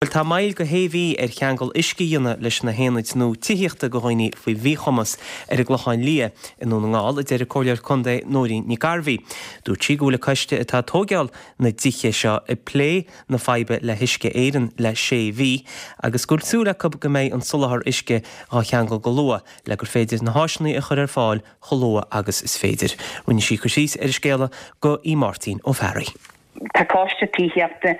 Bhuel tá moill go shé mhí ar cheangal uisce a dhéanamh leis na haonaid nua tithíochta do dhaoine faoi mhíchumas ar an gClochán Liath i nDún na nGall, a deir an Comhairleoir Contae Nóirín Nic Gairbhí. Dúirt sí go bhfuil an coiste atá ag tóigeáil na dtithe seo ag plé na faidhbe le hUisce Éireann le sé mhí agus go bhfuil súil acu go mbeidh an soláthar uisce dhá cheangal go luath le gur féidir na háiseanna a chur ar fáil chomh luath agus is féidir. Rinne sí cur síos ar an scéala do Mháirtín Ó Fearraigh. Tá coiste tithíochta,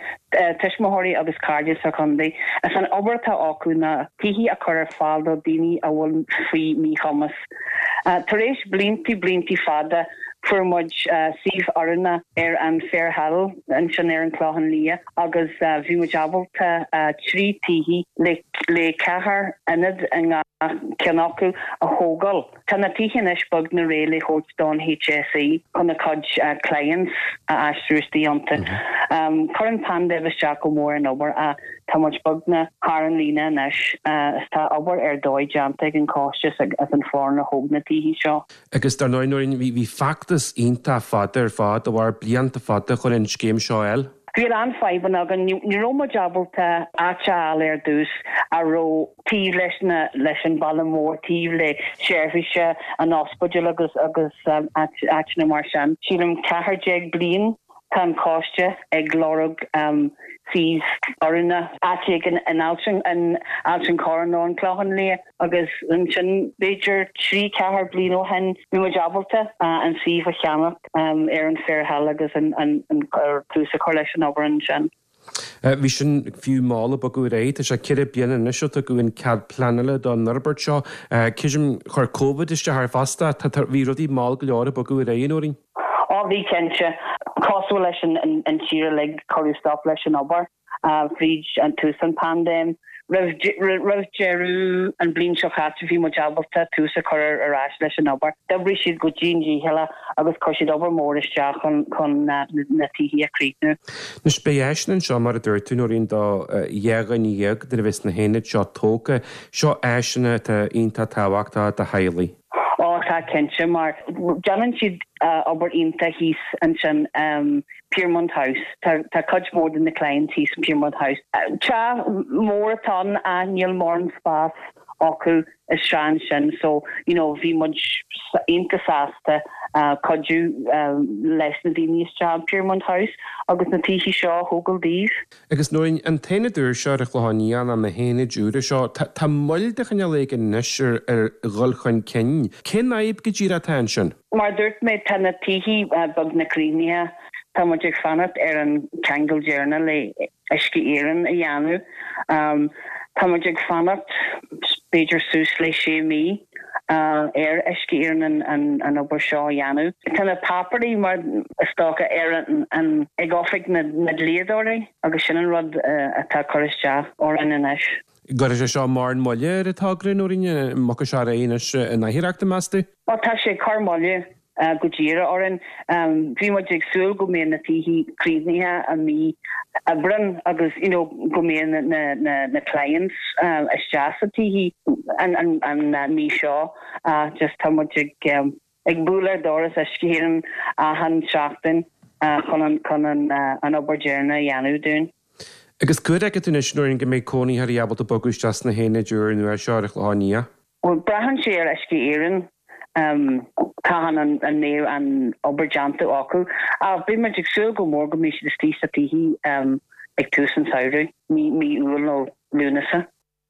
tuismitheoirí agus cairde sa chontae. Is an obair atá acu ná tithí a chur ar fáil do daoine a bhfuil faoi míchumas. Tar éis blianta, blianta fada, fuair muid suíomh oiriúnach ar an Fair Hill ansin ar an Clochán Liath agus bhí muid ábalta 3 tithí le 4 ionad i ngach ceann acu a thógáil. Tá na tithe anois beagnach réidh le thabhairt don HSE chun a cuid clients a aistriú istigh iontu. Chuir an paindéim isteach go mór ar an obair ach tá muid beagnach thar an líne anois is tá obair ar dóigh déanta ag an choiste is an foireann a thóg na tithe seo. Agus dar ndóigh, Nóirín, bhí feachtas iontach fada ar fad, a mhair blianta fada chun an scéim seo a fháil. Bhí a lán fadhbanna againn. Ní raibh muid ábalta áit a fháil ar dtús a raibh taobh leis na leis an baile mór, taobh le seirbhíse an ospidéil agus agus áiteanna mar sin. Sílim 14 bliain tá an coiste ag lorg suíomh oiriúnach, áit éigin in Ailt an Chorráin nó an Clochán Liath. Agus ansin, b'fhéidir trí, ceathair bliain ó shin, bhí muid ábalta an suíomh a cheannacht ar an Fair Hill agus an tús a chur leis an obair ansin. Bhí sin fiú mall ag bogadh ar aghaidh. Tá sé ceithre bliana anois ó tugadh an cead pleanála don fhorbairt seo. Creidim, chuir Covid isteach air fosta. Bhí rudaí mall go leor ag bogadh ar aghaidh, a Nóirín. Ó bhí, cinnte. Cosúil leis an tír uilig, cuireadh stop leis an obair. fríd an tús an paindéim. Roimh roimh deireadh an bliain seo chaite bhí muid ábalta tús a chur ar ais leis an obair. D'oibrigh siad go dian dícheallach agus chuir siad obair mór isteach chun chun na na tithí a chríochnú. Anois beidh áiseanna anseo mar a dúirt tú Nóirín do 12 dhuine nuair a bheas na haonaid seo tógtha. Seo áiseanna atá iontach tábhachtach do theaghlaigh. Ó tá cinnte mar déanann siad obair iontach thíos ansin. Piermont House. Tá cuid mhór de na clients thíos in Piermont House. Teach mór atá ann ach níl mórán spás acu isteach ansin so you know bhí muid iontach sásta cuidiú leis na daoine isteach in Piermont House agus na tithe seo a thógáil daoibh. Agus Nóirín, an t-aonad úr seo ar an Chlochán Liath nó na haonaid úra seo, tá moill de chineál éigin anois ar ar dhul chun cinn. Cén fhadhb go díreach atá ansin? Mar a dúirt mé, tá na tithe beagnach críochnaithe. Tá muid ag fanacht ar an ceangal deireanach le Uisce Éireann a dhéanamh. Tá muid ag fanacht b'fhéidir suas le sé mí ar Uisce Éireann an obair seo a dhéanamh. Tá na páipéirí mar is dócha ar an ag oifig na ndlíodóirí agus sin an rud atá ag cur isteach orainn anois. Gcuirfidh sé seo mórán moille ar an togra, Nóirín, an mbogfaidh sé ar aghaidh anois in athuair, meas tú? Ó tá sé ag cur moille go díreach orainn. Bhí muid ag súil go mbeadh na tithe críochnaithe i mí Aibreán agus you know go mbeadh na na na clients isteach sa tithe an an an mí seo ach just tá muid ag ag bualadh ar doras Uisce Éireann achan seachtain chun an chun an an obair deireanach a dhéanamh dúinn. Agus cá huair a fheiceann tú anois, Nóirín, go mbeidh cónaitheoirí ábalta bogadh isteach sna haonaid úr nua seo ar an Chlochán Liath? Bhuel, braitheann sé ar Uisce Éireann cathain an mbeidh an obair déanta acu. Ach beidh muid ag súil go mór go mbeidh siad istigh sa tithe ag tús an samhraidh, mí Iúil nó Lúnasa.